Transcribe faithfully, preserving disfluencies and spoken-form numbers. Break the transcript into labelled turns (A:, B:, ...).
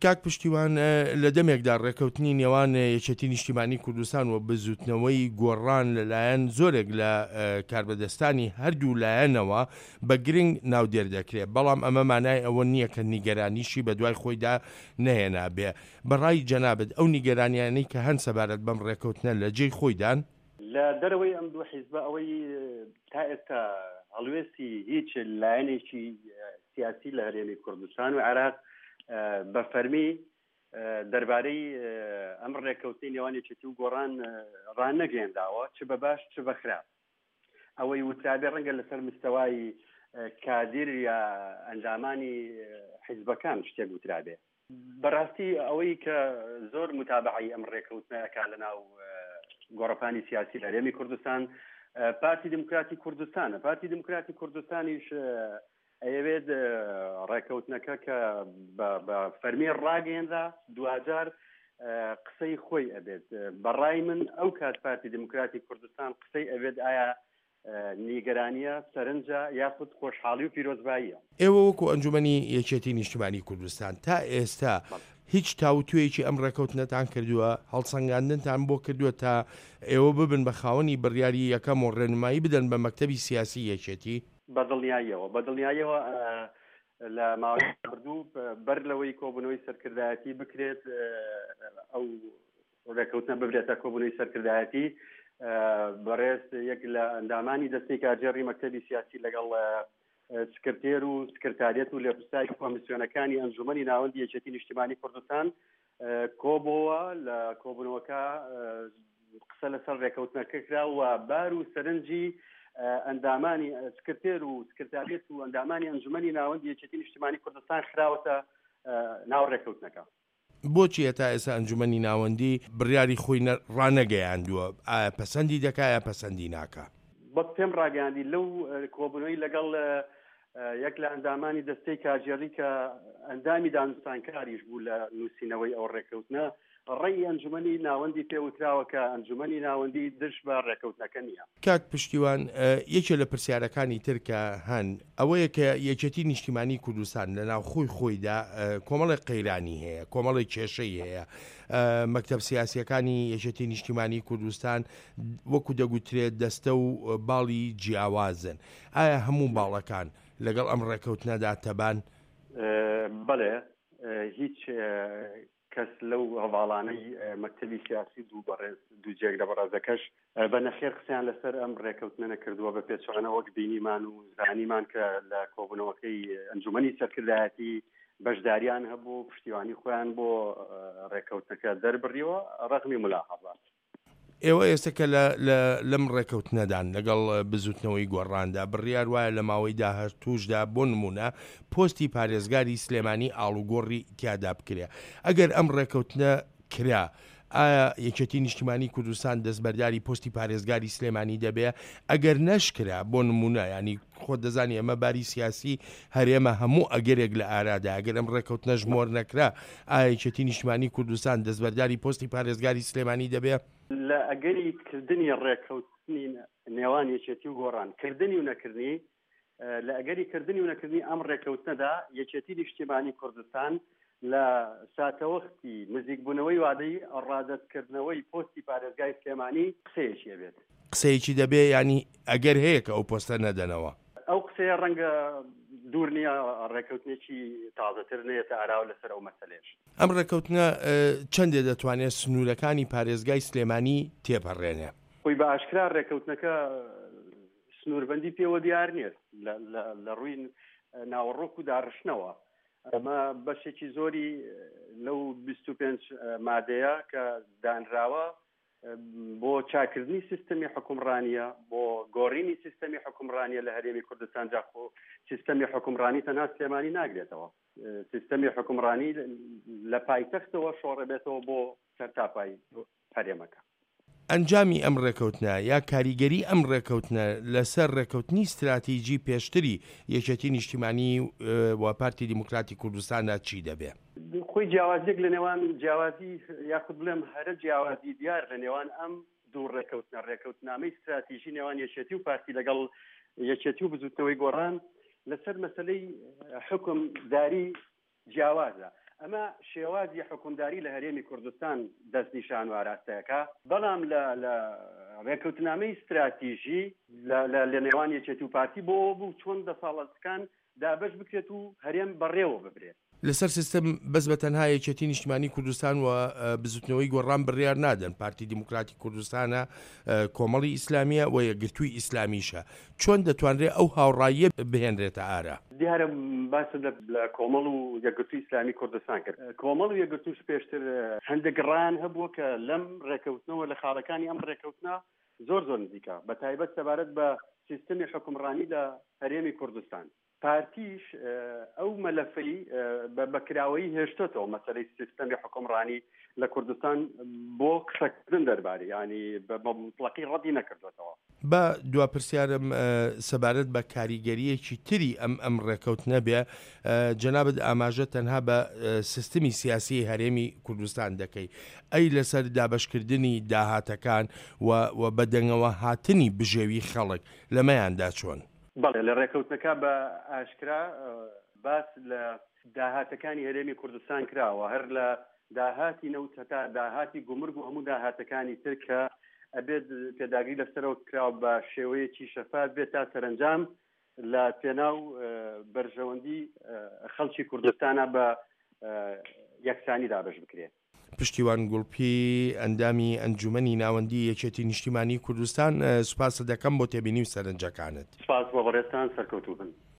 A: کاک پشتیوان، لە دەمێکدا ڕێکەوتنی نێوان یەکێتی نیشتیمانی کوردستان و بزوتنەوەی گۆڕان لەلایەن زۆرێک لە کاربەدەستانی هەردوو لایەنەوە بە گرنگ ناودێر دەکرێت، بەڵام ئەمە مانای ئەوە نییە کە نیگەرانیشی بەدوای خۆیدا نەهێنابێ. بە ڕای جەنابت ئەو نیگەرانیانەی کە هەن سەبارەت بەم ڕێکەوتنە لە جێی خۆیدان؟
B: لە دەرەوەی ئەم دوو حیزبە ئەوەی تا ئێستا هەڵوێستی هیچ لایەنێکی سیاسی لە هەرێمی کوردستان و عێراق بە فەرمی دەربارەی ئەم ڕێککەوتنی نێوان یەکێتی و گۆڕان ڕانەگەیەنراوە، چ بە باش چ بە خراپ. ئەوەی وترابێ ڕەنگە لەسەر مستەوای کادیر یا ئەندامانی حیزبەکان شتێک وترابێ. بەڕاستی ئەوەی کە زۆر متابعەی ئەم ڕێککەوتنە ئەکا لەناو گۆڕەپانی سیاسی لە هەرێمی کوردستان پارتی دیموکراتی کوردستانە. پارتی دیموکراتی کوردستانیش ئەیەوێت ڕێککەوتنەکە کە بە فەرمی ڕاگەیەنرا دواجار قسەی خۆی ئەبێت. بەڕای من ئەو کات پارتی دیموکراتی کوردستان قسەی ئەبێت ئایا نیگەرانیە، سەرنجە یاخود خۆشحاڵی و پیرۆزباییە.
A: ئێوە وەکو ئەنجومەنی یەکێتی نیشتیمانی کوردستان تا ئێستا هیچ تاوتوێیەکی ئەم ڕێکەوتنەتان کردووە، هەڵسەنگاندنتان بۆ کردووە تا ئێوە ببن بە خاوەنی بڕیاری یەکەم و ڕێنمایی بدەن بە مەکتەبی سیاسی یەکێتی؟
B: بەدڵنیاییەوە بەدڵنیاییەوە لە ماوەی ڕابردوو بەر لەوەی کۆبوونەوەی سەرکردایەتی بکرێت، ئەو ڕێکەوتنە ببرێتە کۆبوونەوەی سەرکردایەتی، بەڕێز یەک لە ئەندامانی دەستەی کارگێڕی مەکتەبی سیاسی لەگەڵ سکرتێر و سکرتاریەت و لێپرسراوی کۆمیسیۆنەکانی ئەنجومەنی ناوەندی یەکێتی نیشتیمانی کوردستان کۆبۆوە. لە کۆبوونەوەکە قسە لەسەر ڕێکەوتنەکە کرا و بار و سەرنجی ئەندامانی سکرتێر و سکرتاریەت و ئەندامانی ئەنجومەنی ناوەندی یەکێتی نیشتیمانی کوردستان خراوەتە ناو ڕێکەوتنەکە.
A: بۆچی هەتا ئێستا ئەنجومەنی ناوەندی بڕیاری خۆی ڕانەگەیاندووە؟ ئایا پەسەندی دەکا یا پەسەندی ناکا؟
B: وەک پێم ڕاگەیاندی لەو کۆبوونەوەی لەگەڵ یەک لە ئەندامانی دەستەی کارگێڕی کە ئەندامی دانوستانکاریش بوو لە نووسینەوەی ئەو ڕێککەوتنە، ڕێی ئەنجومەنی ناوەندی پێوتراوە کە ئەنجومەنی ناوەندی دژ بە ڕێککەوتنەکە نییە.
A: کاک پشتیوان، یەکێ لە پرسیارەکانی تر کە هەن ئەوەیە کە یەکێتی نیشتیمانی کوردستان لە ناوخۆی خۆیدا کۆمەڵێک قەیرانی هەیە، کۆمەڵێک کێشەی هەیە. مەکتەب سیاسیەکانی یەکێتی نیشتیمانی کوردستان وەکو دەگوترێت دەستە و باڵی جیاوازن. ئایا هەموو باڵەکان لەگەڵ ئەم ڕێککەوتنەدا تەبان؟
B: بەڵێ، هیچ کەس لەو هەواڵانەی مەکتەبی سیاسی دوو بەڕێز دوو جێگرە بەڕێزەکەش بە نەخێر قسەیان لەسەر ئەم ڕێککەوتنە نەکردووە. بە پێچەوانە وەک بینیمان و زانیمان کە لە کۆبوونەوەکەی ئەنجومەنی سەرکردایەتی بەشداریان هەبوو، پشتیوانی خۆیان بۆ ڕێککەوتنەکە دەربڕیوە ڕەغمی ملاحەظات.
A: ئێوە ئێستا کە لەم ڕێککەوتنەدان لەگەڵ بزوتنەوەی گۆڕاندا بڕیار وایە لە ماوەی داهاتووشدا بۆ نمونە پۆستی پارێزگاری سلێمانی ئاڵوگۆڕی تیادا بکرێ، ئەگەر ئەم ڕێککەوتنە کرا ئایا یەکێتی نیشتیمانی کوردستان دەستبەرداری پۆستی پارێزگاری سلێمانی دەبێ؟ ئەگەر نەشکرا بۆ نمونە، ینی خۆت دەزانی ئەمە باری سیاسی هەرێمە هەموو ئەگەرێک لە ئارادا، ئەگەر ئەم ڕێککەوتنەش مۆر نەکرا ئایا یەکێتی نیشتیمانی کوردستان دەستبەرداری پۆستی پارێزگاری سلێمانی دەبێ؟
B: لە ئەگەری کردنی ڕێککەوتنی نێوان یەکێتی و گۆڕان، کردنی و نەکردنی، لە ئەگەری کردنی و نەکردنی ئەم ڕێککەوتنەدا یەکێتی نیشتیمانی کوردستان لە ساتەوەختی نزیکبوونەوەی وادەی ڕادەستکردنەوەی پۆستی پارێزگای سلێمانی قسەیەکی ئەبێت.
A: قسەیەکی دەبێ، ینی ئەگەر هەیە کە ئەو پۆستە نەدەنەوە؟
B: ئەو قسەیە ڕەنگە دوور نییە ڕێککەوتنێکی تازەتر نێتە ئاراوە لەسەر ئەو مەسەلەیەش.
A: ئەم ڕێککەوتنە چەندێ دەتوانێت سنوورەکانی پارێزگای سلێمانی تێپەڕێنێ؟
B: خۆی بە ئاشکرا ڕێککەوتنەکە سنووربەندی پێوە دیار نییە لە ڕووی ناوەڕۆک و داڕشتنەوە. ئەمە بەشێکی زۆری لەو بیست و پێنج مادەیە کە دانراوە بۆ چاکردنی سیستەمی حکومڕانیە، بۆ گۆڕینی سیستەمی حکومڕانیە لە هەرێمی کوردستان. جا خۆ سیستەمی حکومڕانی تەنها سلێمانی ناگرێتەوە، سیستەمی حکومڕانی لە پایتەختەوە شۆڕەبێتەوە بۆ سەرتاپای هەرێمەکە.
A: ئەنجامی ئەم ڕێکەوتنە یا کاریگەری ئەم ڕێکەوتنە لەسەر ڕێکەوتنی استراتیژی پێشتری یەکێتی نیشتیمانی و پارتی دیموکراتی کوردستاندا چی دەبێ؟
B: خۆی جیاوازیەک لە نێوان جیاوازی یاخود بڵێم هەرە جیاوازی دیار لە نێوان ئەم دوو ڕێکەوتنە، ڕێکەوتنامەی استراتیژی نێوان یەکێتی و پارتی لەگەڵ یەکێتی و بزوتنەوەی گۆڕان لەسەر مەسلەی حکومداری جیاوازە. ئەمە شێوازی حوکمداری لە هەرێمی کوردستان دەستنیشان و ئاراستەیەکە، بەڵام لە لە ڕێککەوتنامەی ستراتیژی لە لە نێوان یەکێتی و پارتی بۆ ئەوە بوو چۆن دەسەاڵتەکان دابەش بکرێت و هەرێم بەڕێوە ببرێت.
A: لەسەر سیستم بەس بە تەنها یەکێتی نیشتمانی کوردستان و بزوتنەوەی گۆڕان بڕیار نادەن، پارتی دیموکراتی کوردستانە، کۆمەڵی ئیسلامیە و یەکگرتووی ئیسلامیشە، چۆن دەتوانرێت ئەو هاوڕاییە بهێنرێتە ئارا؟
B: دیارە باست لە کۆمەڵ و یەکگرتووی ئیسلامی کوردستان کرد، کۆمەڵ و یەکگرتووش پێشتر هەندێک ڕایان هەبووە کە لەم ڕێکەوتنەوە لە خاڵەکانی ئەم ڕێکەوتنە زۆر زۆر نزیکە، بە تایبەت سەبارەت بە سیستمی حوکمڕانی لە هەرێمی کوردستان. پارتیش ئەو مەلەفەی بە کراوەیی هێشتۆتەوە، مەسەلەی سیستەمی حوکمڕانی لە کوردستان بۆ قسەکردن دەربارەی، یانی بە مطلقی ڕەدی نەکردوێتەوە.
A: با دوا پرسیارم سەبارەت بە کاریگەریەکی تری ئەم ئەم ڕێکەوتنە بێ، جەنابت ئاماژە تەنها بە سیستمی سیاسی هەرێمی کوردستان دەکەی، ئەی لەسەر دابەشکردنی داهاتەکان و بەدەنگەوە هاتنی بژێوی خەڵک لەمەیاندا چۆن؟
B: بەڵێ، لە ڕێکەوتنەکە بە ئاشکرا باس لە داهاتەکانی هەرێمی کوردستان کراوە، هەر لە داهاتی نەوت هەتا داهاتی گومرگ و هەموو داهاتەکانی تر کە ئەبێت پێداگری لەسەرەوە کراوە بە شێوەیەکی شەفاف بێت تا سەرەنجام لە پێناو بەرژەوەندی خەڵکی کوردستانە بە یەکسانی دابەش بکرێت.
A: پشتیوان گوڵپی، ئەندامی ئەنجومەنی ناوەندی یەکێتی نیشتیمانی کوردستان، سوپاست دەکەم بۆ تێبینی و سەرنجەکانت.
B: سوپاس بۆ بەڕێزتان، سەرکەوتوو بن.